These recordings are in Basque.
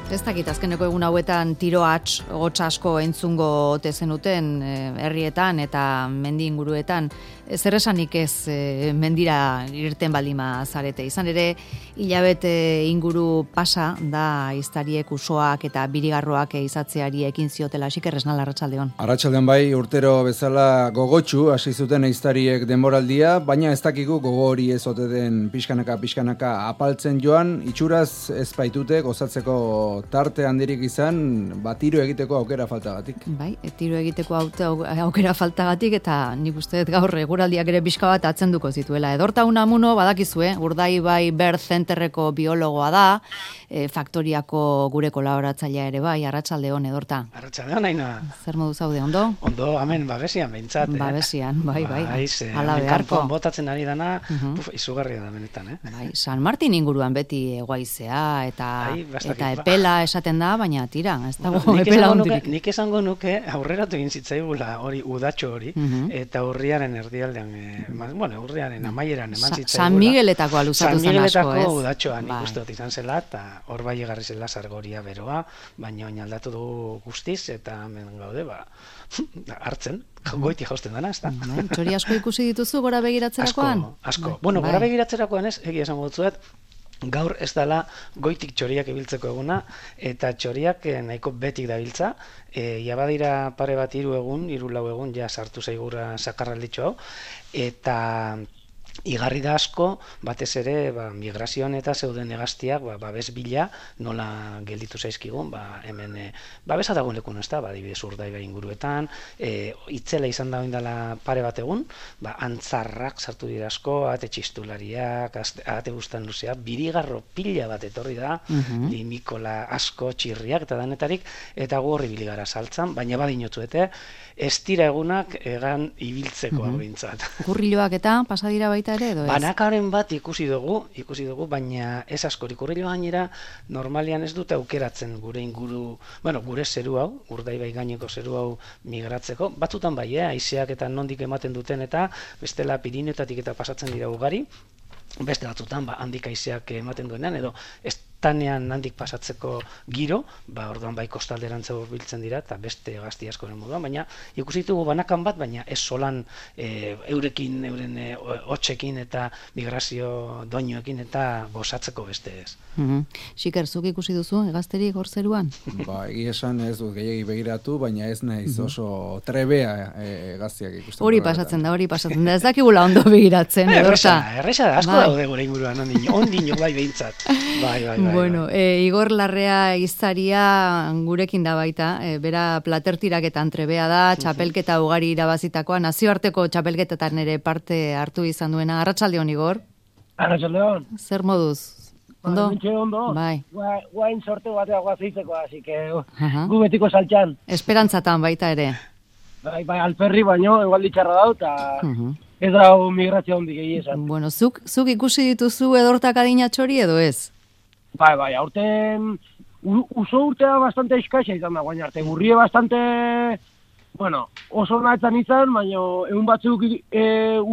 Ez dakit, azkeneko egun hauetan tiro hots asko entzungo ote zenuten herrietan eta mendi inguruetan. Zer esanik ez mendira irten baldima zarete. Izan ere, hilabete inguru pasa da iztariek usoak eta birigarroak izatzeari ekin ziotela. Xiker Esnal, arratsaldeon. Arratsaldeon bai, urtero bezala gogotsu hasi zuten iztariek denboraldia, baina ez dakigu gogo hori ez ote den pixkanaka apaltzen joan, itxuraz ez baitute gozatzeko tarte handirik izan, tiro egiteko aukera faltagatik. Bai, tiro egiteko aukera faltagatik eta nik uste dut gaur eguraldiak ere pixka bat atzenduko zituela. Edorta Unamuno badakizue, Urdaibai Bird Centerreko biologoa da, faktoriako gure kolaboratzailea ere bai, arratsaldeon Edorta. Arratsaldeon, Ainhoa. Zer modu zaude, ondo? Ondo, hemen babesian behintzat. Babesian, bai. Hala beharko. Botatzen ari dana, izugarria da benetan, Bai, San Martin inguruan beti egoaizea eta epela esaten da, baina tira, ez dago epela hondirik. Nik esango nuke aurreratu egin zitzaigula hori udatxo hori, eta urriaren erdialdean, urriaren amaieran eman zitzaigula. San Migueletako aluzatu zen asko, ez? San Migueletako udatxoa nik uste dut izan zela, eta hor bai egarri zela sargoria beroa, baina oin aldatu du guztiz, eta hemen gaude, hartzen, goiti jausten dana, ez da? Txori asko ikusi dituzu gora begiratzerakoan? Asko. Bueno, gora begiratzerakoan ez, egia esango dutzuet, gaur ez dela goitik txoriak ibiltzeko eguna, eta txoriak nahiko betik dabiltza, jabadira pare bat 3 lau egun, ja sartu zaigura sakarralditxo hau, eta igarri da asko, batez ere migrazioan eta zeuden hegaztiak babes bila nola gelditu zaizkigun, hemen babesa dagoen lekun, ez da, adibidez Urdaibai inguruetan, itzela izan da oindala pare bat egun, antzarrak sartu dira asko, ate txistulariak, ate bustan luzeak, birigarro pila bat etorri da, limikola asko, txirriak eta danetarik, eta gu horri biligara saltzan, baina badinotzuete, ez dira egunak egan ibiltzeko hau bintzat. Kurriloak eta pasadira baita ere, edo ez? Banakaren bat ikusi dugu, baina ez askorik. Kurriloa gainera normalian ez dute aukeratzen gure inguru, gure zeru hau, Urdaibai gaineko zeru hau migratzeko. Batzutan bai, haizeak eta nondik ematen duten eta bestela Pirinioetatik eta pasatzen dira ugari, beste batzutan handik haizeak ematen duenean, edo estanean handik pasatzeko giro, orduan bai kostalderantza hurbiltzen dira, eta beste gazti askoren moduan, baina ikusi ditugu banakan bat, baina ez solan euren hotxekin eta migrazio doinuekin eta gozatzeko beste ez. Xiker, zuk ikusi duzu, egazterik hor zeruan? Egia esan ez dut gehiagi begiratu, baina ez naiz oso trebea egaztiak ikusten. Hori pasatzen da, ez dakigula ondo begiratzen, edorta. Erresa da, asko daude gure inguruan, ondino bai behintzat. Bueno, Igor Larrea iztaria gurekin da baita, bera platertiraketan trebea da, txapelketa ugari irabazitakoa, nazioarteko txapelketetan ere parte hartu izan duena. Arratsaldeon, Igor? Arratsaldeon. Zer moduz? Ondo? Ondo. Bai. Guain sorte batea guazeizeko, así que gu betiko saltxan. Esperantzatan baita ere. Bai, alperri baino, egualdi txarra dau, eta ez dau migrazio hondik egizan. Bueno, zuk ikusi dituzu edortak adina txori edo ez? Bai, aurten uso urtea bastante eskaxa izan da, guain arte. Gurrie bastante, oso nahetzan izan, baina egun batzuk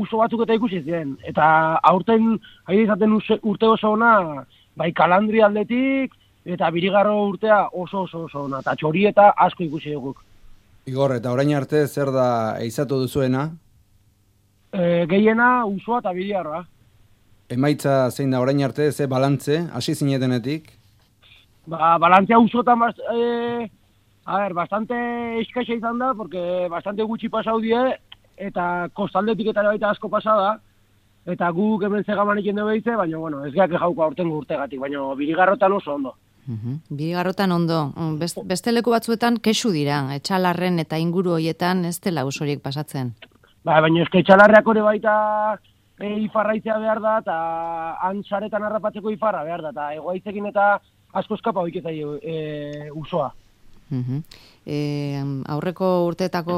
uso batzuk eta ikusi ziren. Eta aurten, haide izaten urte oso ona, bai Kalandri aldetik, eta birigarro urtea oso ona. Eta txori eta asko ikusi dugu. Igor, eta orain arte zer da eizatu duzuena? Gehiena usoa eta birigarroa. Emaitza zein da orain arte, ze balantze, hasi zinetenetik? Balantzea usotan bastante eskaxa izan da, porque bastante gutxi pasau die, eta kostaldetik eta baita asko pasada, eta guk hemen zegamanik jende behitze, baina, ez geak jauko aurtengo urtegatik, baina birigarrotan oso ondo. Birigarrotan ondo. Beste leku batzuetan kexu dira, Etxalarren eta inguru hoietan ez dela usoriek pasatzen. Baina eske Etxalarreak hori baita ifarraitzea behar da, eta antzaretan harrapatzeko ifarra behar da, eta egoaitzekin eta asko eskapa hoiketai usoa. Aurreko urteetako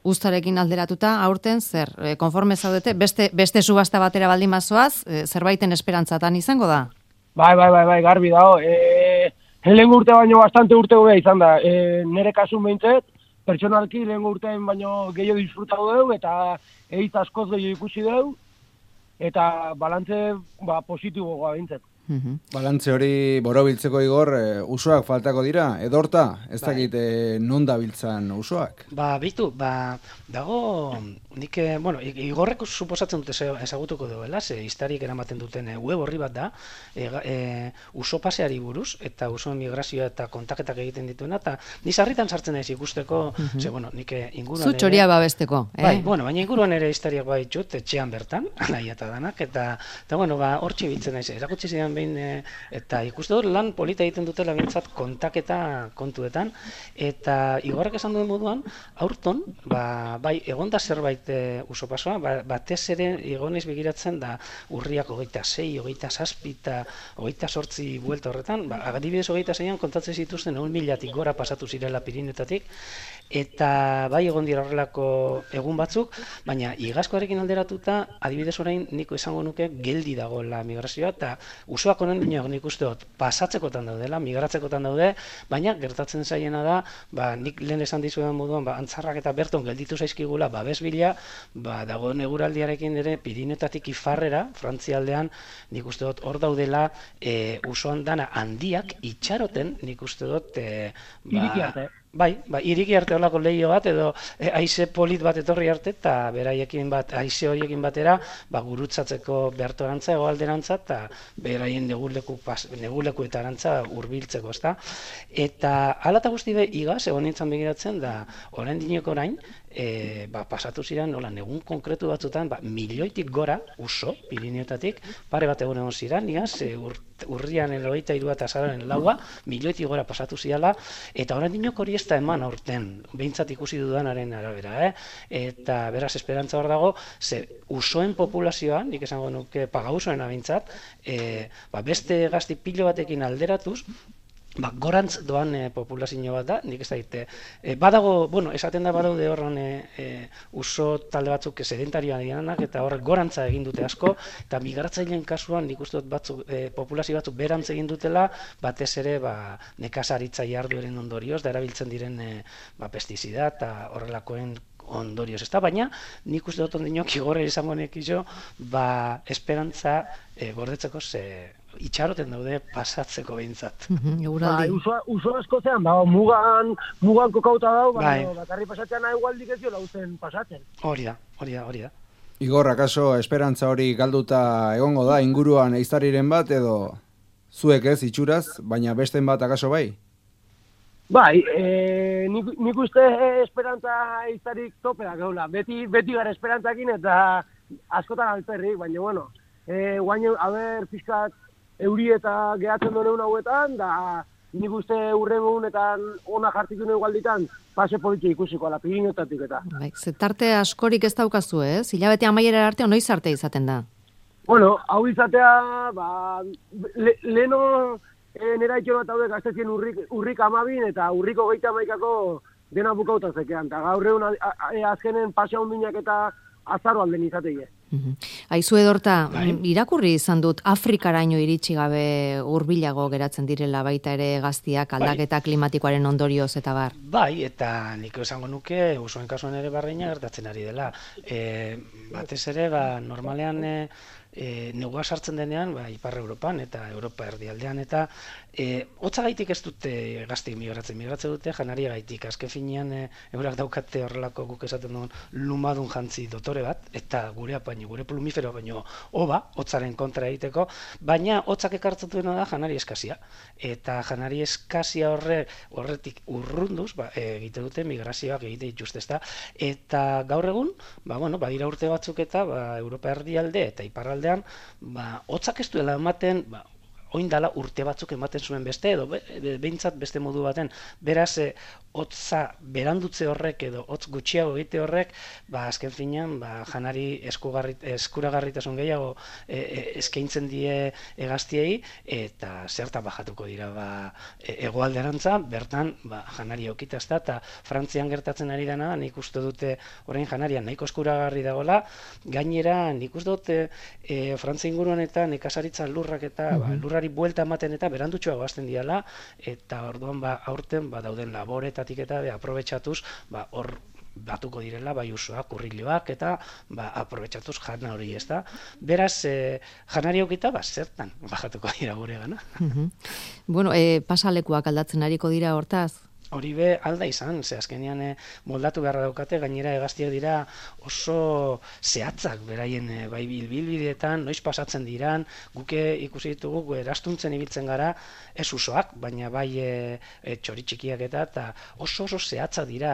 uztarekin alderatuta, aurten zer, konforme zaudete, beste subasta batera baldin mazoaz, zerbaiten esperantzatan izango da? Bai, garbi dago. Lehen urte baino bastante urte gobea izan da. Nere kasun behintzet, pertsonalki lehen urtean baino gehiago disfrutatu dugu, eta egitz askoz gehiago ikusi dugu, eta balantze positiboa behintzet. Balantze hori borobiltzeko Igor, usoak faltako dira, edorta, ez dakit non dabiltzan usoak? Dago, nik, Igorrek suposatzen dute ezagutuko duela, ze historiak eramaten duten web horri bat da, uso paseari buruz, eta usoen migrazioa eta kontaketak egiten dituena, eta ni sarritan sartzen naiz ikusteko, nik inguruan ere... Zutxoria babesteko, baina inguruan ere historiak baitut, etxean bertan, nahi eta danak, eta hortxe bitzen naiz, erakutsi zidan behin, eta ikuste dut lan polita egiten dutela bintzat kontaketa kontuetan, eta Igorrek esan duen moduan, aurton, egon da zerbait uso pasoa, batez ere egonez begiratzen da urriak 26, 27 eta 28 buelta horretan, adibidez 26an kontatzen zituzten 1.000-tik gora pasatu zirela Pirinetatik, eta bai egon dira horrelako egun batzuk, baina igazkoarekin alderatuta, adibidez orain niko esango nuke geldi dago la migrazioa, eta usoak honen nik uste dut pasatzekotan daudela, migratzekotan daude, baina gertatzen zaiena da, nik lehen esan dizuetan moduan, antzarrak eta berton gelditu zaizkigula, babes bila, dago neguraldiarekin ere Pirinetatik ifarrera, Frantzialdean, nik uste dut hor daudela usoan dana handiak itxaroten, nik uste dut iriki arte. Iriki arte horlako lehio bat, edo haize polit bat etorri arte, eta beraiekin haize horiekin batera, gurutzatzeko bertorantza, egoalderantza, eta beraien negulekuetarantza hurbiltzeko, ezta? Eta hala eta guzti igaz, egon nintzen begiratzen, da orain dineko orain, pasatu ziren, negun konkretu batzutan, milioitik gora, uso, Pirineotatik, pare bat egon ziren, igaz, urrian 23 eta azararen 4, milioitik gora pasatu zirela, eta orain dinoko hori ez da eman aurten, behintzat ikusi dudanaren arabera, eta beraz esperantza hor dago, ze usoen populazioan, nik esango nuke pagausoen behintzat, beste gazti pilo batekin alderatuz, gorantz doan populazio bat da, nik ez daite. Badago, esaten da badaude horren uso talde batzuk sedentarioan dianak, eta horrek gorantza egin dute asko, eta migratzaileen kasuan nik uste dut populazio batzuk berantz egin dutela, batez ere nekazaritza jardueren ondorioz, da erabiltzen diren pestizida eta horrelakoen ondorioz, ez da, baina nik uste dut ondinok Igorre izango nekizo, esperantza gordetzeko itxaroten daude pasatzeko behintzat. Uso askozean, mugan kokauta dau, bakarri pasatzean egualdik ez jo lauzen pasatzen. Hori da. Igor, akaso esperantza hori galduta egongo da, inguruan eiztariren bat, edo zuek ez itxuraz, baina besten bat akaso bai? Nik uste esperantza eiztarik topera gaula. Beti gara esperantzakin eta askotan alperrik, baina guain, fiskat, euri eta gehatzen duen hauetan, da nik uste urrengunetan ona jartikun egualditan, pase politxe ikusiko ala Pirinetatik eta. Zetarte askorik ez daukazu, ez? Hilabete amaiera arte, noiz arte izaten da? Hau izatea, leheno nera itxero bat haude gaztetien urrik 12 eta urriko 31ako dena bukauta zekean. Eta gaur egun azkenen pasea hundinak eta azaro alden izateie. Aizu edorta, irakurri izan dut Afrikaraino iritsi gabe hurbilago geratzen direla baita ere gaztiak aldaketa klimatikoaren ondorioz eta bar. Eta nik esango nuke usoen kasuan ere barreina gertatzen ari dela. Batez ere, normalean negua sartzen denean, Ipar Europan eta Europa erdialdean, eta hotzagaitik ez dute gaztik migratzen dute janaria gaitik. Azken finean, eurak daukate horrelako guk esaten duen lumadun jantzi dotore bat, eta gure plumifero baino hotzaren kontra egiteko, baina hotzak ekartzen duena da janari eskazia. Eta janari eskazia horretik urrunduz, egite dute migrazioak egite dituzte, ezta. Eta gaur egun, badira urte batzuk eta Europa erdialde eta iparraldean, hotzak ez duela ematen, oindala urte batzuk ematen zuen beste, edo behintzat beste modu baten. Beraz, hotza berandutze horrek edo hotz gutxiago egite horrek, azken finean, janari eskuragarritasun gehiago eskaintzen die gaztiei, eta zertan bajatuko dira hegoalderantza, bertan janari aukita ezta, eta Frantzian gertatzen ari dena, nik uste dute orain janaria nahiko eskuragarri dagoela, gainera nik uste dute Frantzia inguruan eta nekazaritza lurrak eta lurrari buelta ematen eta berandutxoago hasten diala, eta orduan aurten dauden laboretatik eta aprobetxatuz hor batuko direla bai usoak, urriloak eta aprobetxatuz jana hori, ez da. Beraz, janari aukita, zertan bajatuko dira gure gana. Bueno, pasalekuak aldatzen ariko dira hortaz? Hori be alda izan, ze azkenean moldatu beharra daukate, gainera hegaztiak dira oso zehatzak beraien bai bilbideetan, noiz pasatzen diran, guke ikusi ditugu erastuntzen ibiltzen gara, ez usoak, baina bai txori txikiak eta oso zehatzak dira,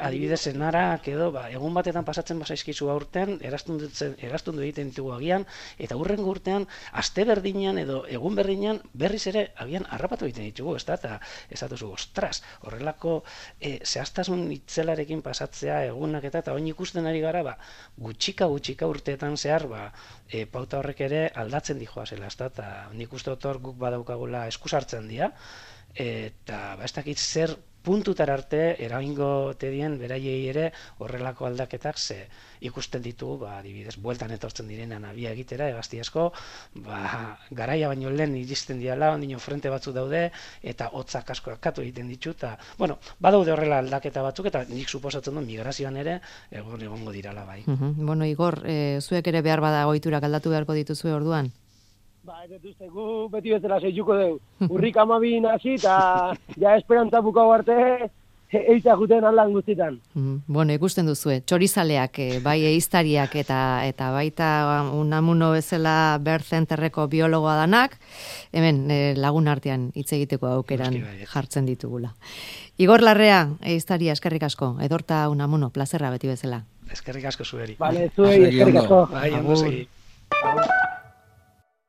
adibidez enarak edo, egun batetan pasatzen bazaizkizu aurten, erastundu egiten ditugu agian, eta hurrengo urtean, aste berdinean edo egun berdinean berriz ere agian harrapatu egiten ditugu, ez da, eta ez datuzu, ostras, horrelako zehaztasun itzelarekin pasatzea egunak eta oin ikusten ari gara gutxika urteetan zehar pauta horrek ere aldatzen dijoazela, eta nik uste dut hor guk badaukagula eskusartzen dira eta ez dakit zer puntutar arte eragingo tedien beraiei ere horrelako aldaketak ze ikusten ditugu, adibidez, bueltan etortzen direnan abia egitera, hegazti asko, garaia baino lehen iristen diala, ondino frente batzuk daude, eta hotzak asko akatu egiten ditu, eta, bueno, badaude horrela aldaketa batzuk, eta nik suposatzen du migrazioan ere egongo dirala bai. Bueno, Igor, zuek ere behar bada ohiturak aldatu beharko dituzue orduan? Ez dut gu beti bezala zeituko dugu. Urrik 12 hasi eta ja esperantza bukau arte eiza juten aldan guztitan. Bueno, ikusten duzue, txorizaleak, bai eiztariak eta baita Unamuno bezala Bird Centerreko biologoa danak, hemen lagun artean hitz egiteko aukeran jartzen ditugula. Igor Larrea, eiztaria, eskerrik asko, Edorta Unamuno, plazerra beti bezala. Eskerrik asko zueri. Vale, zuei, eskerrik asko. Bai, ondo segi.